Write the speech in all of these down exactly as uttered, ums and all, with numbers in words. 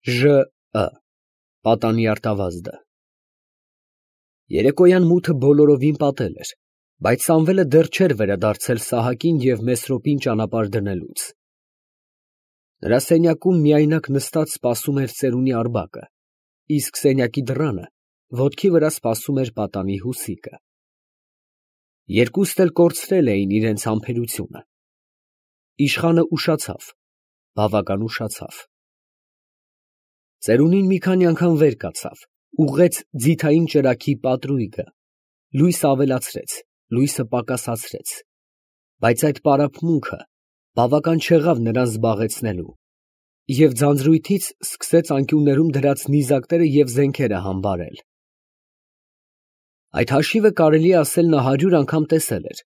Ժ Ը պատանի արտավազդը։ Երեկոյան մութը բոլորովին պատել էր, բայց Սամվելը դեռ չէր վերադարձել Սահակին և Մեսրոպին ճանապարհ դնելուց։ Նրա սենյակում միայնակ նստած սպասում էր ծերունի Արբակը, իսկ սենյակի դռանը ոտքի վրա սպասում էր պատանի Հուսիկը։ Երկուստ էլ կորցրել էին իրենց համբերությունը։ Իշխանը ուշացավ, բավական ուշացավ։ Ծերունին մի քանի անգամ վեր կացավ, ուղղեց ձիթային ճրագի պատրույգը, լույս ավելացրեց, լույսը պակասացրեց, բայց այդ պարապմունքը բավական չեղավ նրան զբաղեցնելու, և ձանձրույթից սկսեց անկյուններում դրած նիզակները և զենքերը համբարել։ Այդ հաշիվը կարելի է ասել նա հարյուր անգամ տեսել էր,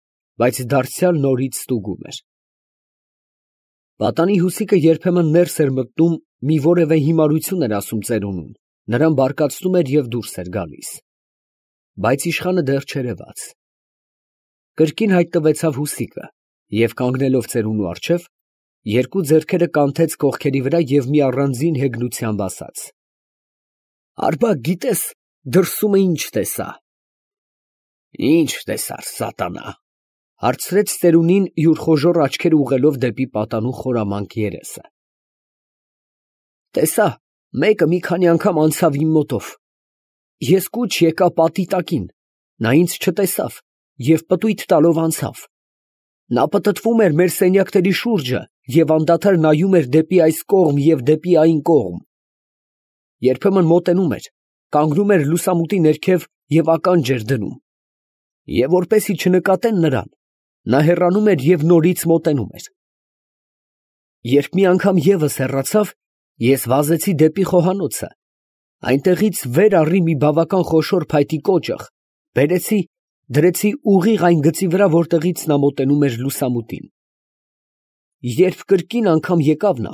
բայց դարձյալ նորից ստուգում էր։ Պատանի Հուսիկը երբեմն ներս էր մտնում, մի որևէ հիմարություն էր ասում ծերունուն, նրան բարկացնում էր և դուրս էր գալիս։ Բայց իշխանը դեռ չերևաց։ Կրկին հայտնվեցավ Հուսիկը և, կանգնելով ծերունու առջև, երկու ձեռքերը կանթեց կողքերի վրա և մի առանձին հեգնությամբ ասաց. «Արբակ, գիտե՞ս, դրսումը ինչ տեսա»։ «Ի՞նչ տեսար, սատանա», ֊ հարցրեց ծերունին, յուր խոժոռ աչքերը ուղղելով դեպի պատանու խորամանկ երեսը։ «Տեսա, մեկը մի քանի անգամ անցավ իմ մոտով։ Ես կուչ եկա պատի տակին, նա ինձ չտեսավ և պտույտ տալով անցավ։ Նա պտտվում էր մեր սենյակների շուրջը և անդադար նայում էր դեպի այս կողմ և դեպի այն կողմ։ Երբեմն մոտենում էր, կանգնում էր լուսամուտի ներքև և ականջ էր դնում, և որպեսզի չնկատեն նրան, նա հեռանում էր և նորից մոտենում էր։ Երբ մի անգամ ևս հեռացավ, ես վազեցի դեպի խոհանոցը, այնտեղից վեր առի մի բավական խոշոր փայտի կոճղ, բերեցի, դրեցի ուղիղ այն գծի վրա, որտեղից նա մոտենում էր լուսամուտին։ Երբ կրկին անգամ եկավ նա,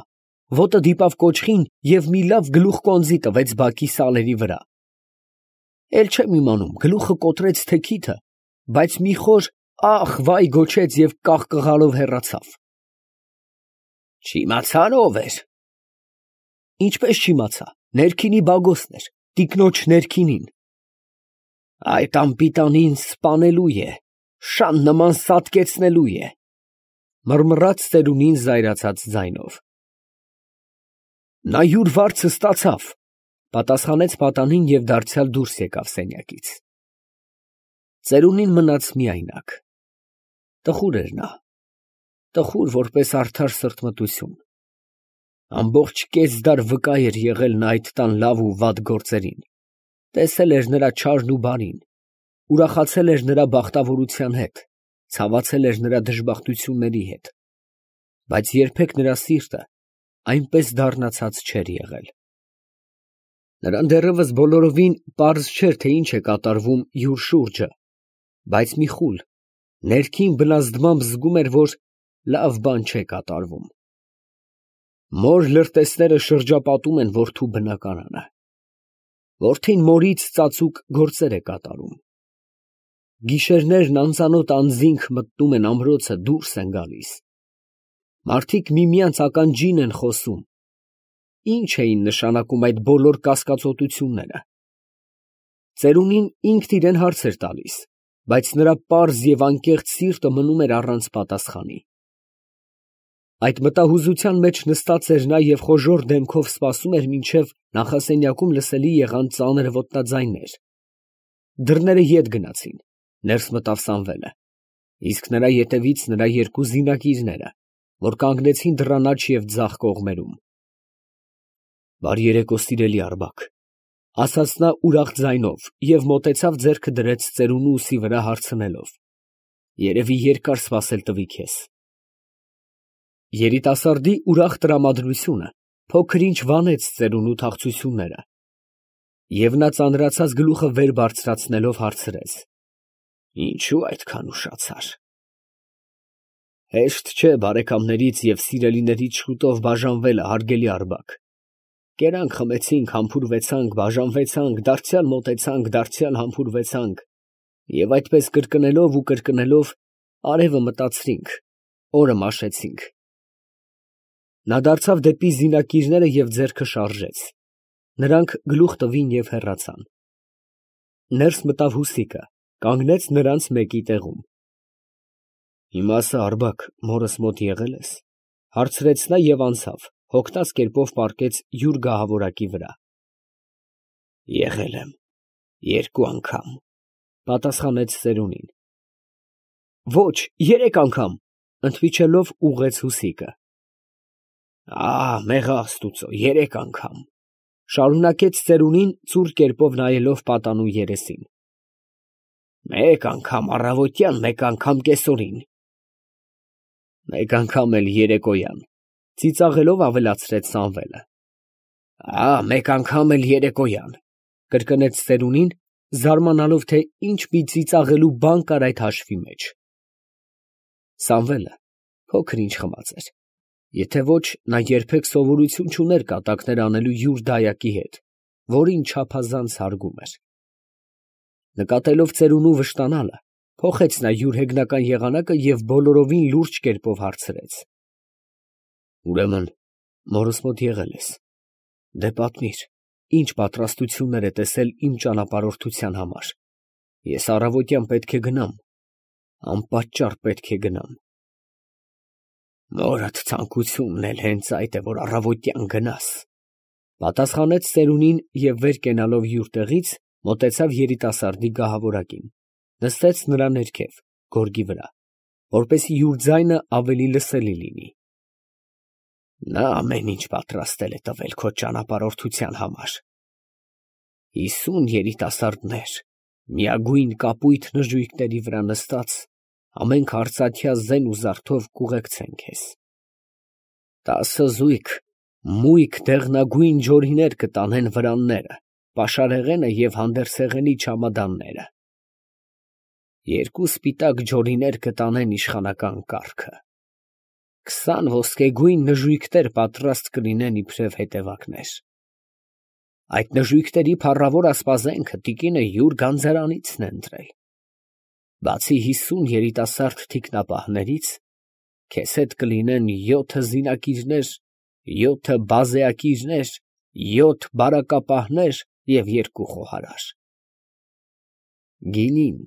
ոտը դիպավ կոճղին և մի լավ գլուխ կոնձի տվեց բակի սալերի վրա։ Էլ չեմ իմանում, գլուխը կոտրեց թե քիթը, բայց մի խոր ա՜խ֊վայ գոչեց և կաղկղալով հեռացավ։ Չիմացա՞ր ով էր։ Ինչպես չիմացա, ներքինի բագոսն էր, տիկնոջ ներքինին։ Այդ անպիտանին սպանելու է, շան նման սատկեցնելու է, մռմռաց ծերունին զայրացած ձայնով։ Նա յուր վարձը ստացավ, պատասխանեց պատանին և դարձյալ դուրս եկավ սենյակից։ Ծերունին մնաց միայնակ։ Տխուր էր նա, տխուր, որպես արդար սրտմտություն։ Ամբողջ կես դար վկա էր եղել նա այդ տան լավ ու վատ գործերին, տեսել էր նրա չարն ու բարին, ուրախացել էր նրա բախտավորության հետ, ցավացել էր նրա դժբախտությունների հետ, բայց երբեք նրա սիրտը այնպես դառնացած չէր եղել։ Նրան դեռևս բոլորովին պարզ չէր, թե ինչ է կատարվում յուր շուրջը, բայց մի խուլ, ներքին բնազդմամբ զգում էր, որ լավ բան չէ կատարվում։ Մոր լրտեսները շրջապատում են որդու բնակարանը։ Որդին մորից ծածուկ գործեր է կատարում։ Գիշերներն անծանոթ անձինք մտնում են ամրոցը, դուրս են գալիս։ Մարդիկ միմյանց ականջին են խոսում։ Ի՞նչ էին նշանակում այդ բոլոր կասկածոտությունները։ Ծերունին ինքն իրան հարց էր տալիս, բայց նրա պարզ և անկեղծ սիրտը մնում էր առանց պատասխանի։ Այդ մտահուզության մեջ նստած էր նա և խոժոռ դեմքով սպասում էր, մինչև նախասենյակում լսելի եղան ծանր ոտնաձայներ։ Դռները ետ գնացին, ներս մտավ Սամվելը, իսկ նրա ետևից նրա երկու զինակիրները, որ կանգնեցին դռան աջ և ձախ կողմերում։ Բարի երեկո, սիրելի Արբակ, ֊ ասաց նա ուրախ ձայնով և մոտեցավ, ձեռքը դրեց ծերունու ուսի վրա, հարցնելով. երևի երկար սպասել տվի քեզ։ Երիտասարդի ուրախ տրամադրությունը փոքր֊ինչ վանեց ծերունու թախծությունները, և նա ծանրացած գլուխը վեր բարձրացնելով հարցրեց. Ինչո՞ւ այդքան ուշացար։ Հեշտ չէ բարեկամներից և սիրելիներից շուտով բաժանվելը, հարգելի Արբակ։ Կերանք խմեցինք, համբուրվեցանք, բաժանվեցանք, դարձյալ մոտեցանք, դարձյալ համբուրվեցանք, և այդպես կրկնելով ու կրկնելով արևը մտածրինք, օրը մաշեցինք։ Նա դարձավ դեպի զինակիրները և ձեռքը շարժեց. նրանք գլուխ տվին և հեռացան։ Ներս մտավ Հուսիկը, կանգնեց նրանց մեկի տեղում։ ֊ Իմասը, Արբակ, մորս մոտ եղե՞լ ես, ֊ հարցրեց նա և անցավ, հոգնած կերպով պառկեց յուր գահավորակի վրա։ ֊ Եղել եմ երկու անգամ, ֊ պատասխանեց ծերունին։ ֊ Ոչ, երեք անգամ, ֊ ընդմիջելով ուղղեց Հուսիկը։ ֊ Մեղա աստուծո, երեք անգամ, ֊ շարունակեց ծերունին, ծուռ կերպով նայելով պատանու երեսին։ ֊ Մեկ անգամ առավոտյան, մեկ անգամ կեսօրին։ ֊ Մեկ անգամ էլ երեկոյան, ֊ ծիծաղելով ավելացրեց Սամվելը։ ֊ Մեկ անգամ էլ երեկոյան, ֊ կրկնեց ծերունին, զարմանալով, թե ինչ մի ծիծաղելու բան կար այդ հաշվի մեջ։ Սամվելը փոքր ինչ խմած էր, եթե ոչ, նա երբեք սովորություն չուներ կատակներ անելու յուր դայակի հետ, որին չափազանց հարգում էր։ Նկատելով ծերունու վշտանալը, փոխեց նա յուր հեգնական եղանակը և բոլորովին լուրջ կերպով հարցրեց. ֊ Ուրեմն մորս մոտ եղել ես, դե պատմիր, ինչ պատրաստություններ է տեսել իմ ճանապարհորդության համար. ես առավոտյան պետք է գնամ, անպատճառ պետք է գնամ։ ֊ Մորդ ցանկությունն էլ հենց այդ է, որ առավոտյան գնաս, ֊ պատասխանեց ծերունին և վեր կենալով յուր տեղից, մոտեցավ երիտասարդի գահավորակին, նստեց նրա ներքև, գորգի վրա, որպեսզի յուր ձայնը ավելի լսելի լինի։ Նա ամեն ինչ պատրաստել է տվել քո ճանապարհորդության համար. հիսուն երիտասարդներ, միագույն կապույտ նժույգների վրա նստած, ամենք արծաթյա զեն ու զարդով կուղեկցեն քեզ. տասը զույգ մույկ դեղնագույն ջորիներ կտանեն վրանները, պաշարեղենը և հանդերձեղենի չամադանները. երկու սպիտակ ջորիներ կտանեն իշխանական կառքը, քսան ոսկեգույն նժույգներ պատրաստ կլինեն իբրև հետևակներ. այդ նժույգների փառավոր ասպազենքը տիկինը յուր գանձարանիցն է ընտրել. բացի հիսուն երիտասարդ թիկնապահներից, քեզ հետ կլինեն յոթը զինակիրներ, յոթը բազեակիրներ, յոթ բարակապահներ և երկու խոհարար. գինին,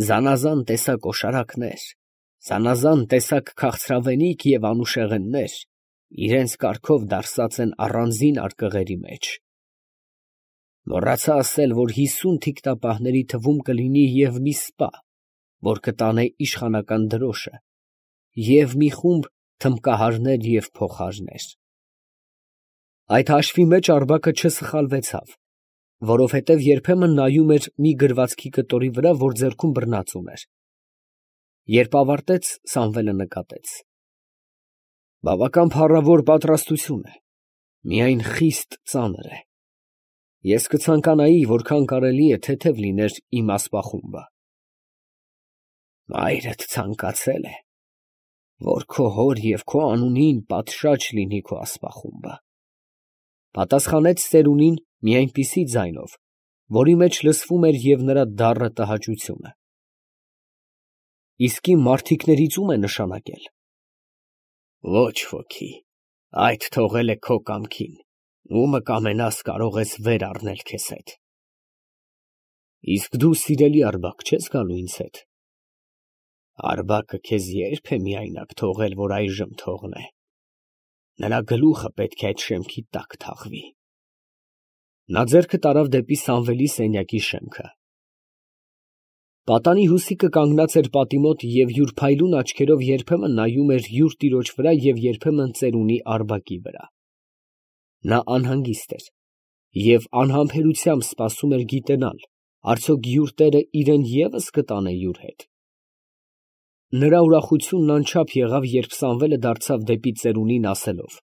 զանազան տեսակ օշարակներ, զանազան տեսակ քաղցրավենիք և անուշեղեններ իրենց կարգով դարսած են առանձին արկղերի մեջ. մոռացա ասել, որ հիսուն թիկնապահների թվում կլինի և մի սպա, որ կտանե իշխանական դրոշը, և մի խումբ թմբկահարներ և փողահարներ։ Այդ հաշվի մեջ Արբակը չսխալվեցավ, որովհետև երբեմն նայում էր մի գրվածքի կտորի վրա, որ ձեռքում բռնած ուներ։ Երբ ավարտեց, Սամվելը նկատեց. բավական փառավոր պատրաստություն է, միայն խիստ ծանր է։ Ես կցանկանայի, որքան կարելի է թեթև լիներ իմ ասպախումբը։ Մայրդ ցանկացել է, որ քո հոր և քո անունին պատշաճ լինի քո ասպախումբը, ֊ պատասխանեց ծերունին մի այնպիսի ձայնով, որի մեջ լսվում էր և նրա դառն տհաճությունը։ ֊ Իսկ իմ մարդիկներից ո՞ւմ է նշանակել։ ֊ Ոչ ոքի, այդ թողել է քո կամքին, ումը կամենաս կարող ես վեր առնել քեզ հետ։ ֊ Իսկ դու, սիրելի Արբակ, չե՞ս գալու ինձ հետ։ ֊ Արբակը քեզ ե՞րբ է միայնակ թողել, որ այժմ թողնե։ Նրա գլուխը պետք է այդ շեմքի տակ թաղվի։ Նա ձեռքը տարավ դեպի Սամվելի սենյակի շեմքը։ Պատանի Հուսիկը կանգնած էր պատի մոտ և յուր փայլուն աչքերով երբեմն նայում էր յուր տիրոջ վրա և երբեմն ծերունի Արբակի վրա։ Նա անհանգիստ էր և անհամբերությամբ սպասում էր գիտենալ, արդյոք յուր տերը իրան ևս կտանե յուր հետ։ Նրա ուրախությունն անչափ եղավ, երբ Սամվելը դարձավ դեպի ծերունին, ասելով.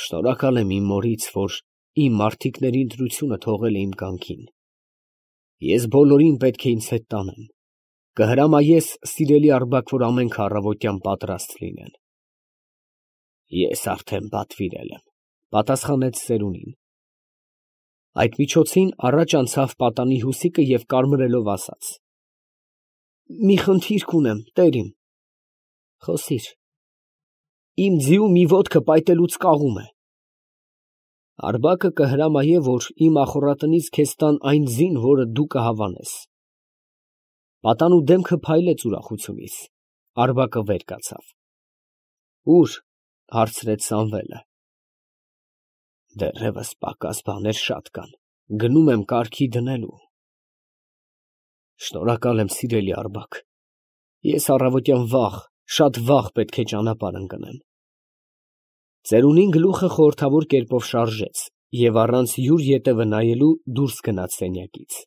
«Շնորհակալ եմ իմ մորից, որ իմ մարդիկների ընտրությունը թողել է իմ կամքին։ Ես բոլորին պետք է ինձ հետ տանեմ. կհրամայես, սիրելի Արբակ, որ ամենքը առավոտյան պատրաստ լինեն։ ֊ Ես արդեն պատվիրել եմ, ֊ պատասխանեց ծերունին։ Այդ միջոցին առաջ անցավ պատանի Հուսիկը և կարմրելով ասաց. ֊ Մի խնդիր կունեմ, տեր իմ։ ֊ Խոսիր։ ֊ Իմ ձիու մի ոտքը պայտելուց կաղում է։ Արբակը կհրամայե, որ իմ ախոռատնից քեզ տան այն ձին, որը դու կհավանես։ Պատանու դեմքը փայլեց ուրախությունից, Արբակը վեր կացավ։ Ո՞ւր, հարցրեց Սամվելը։ Դեռևս պակաս բաներ շատ կան, գնում եմ կարգի դնելու։ Շնորհակալ եմ, սիրելի Արգաբ, ես առավոտյան վաղ, շատ վաղ պետք է ճանապարհ ընկնեմ։ Ծերունին գլուխը խորհրդավոր կերպով շարժեց և առանց յուր ետևը նայելու դուրս գնաց սենյակից։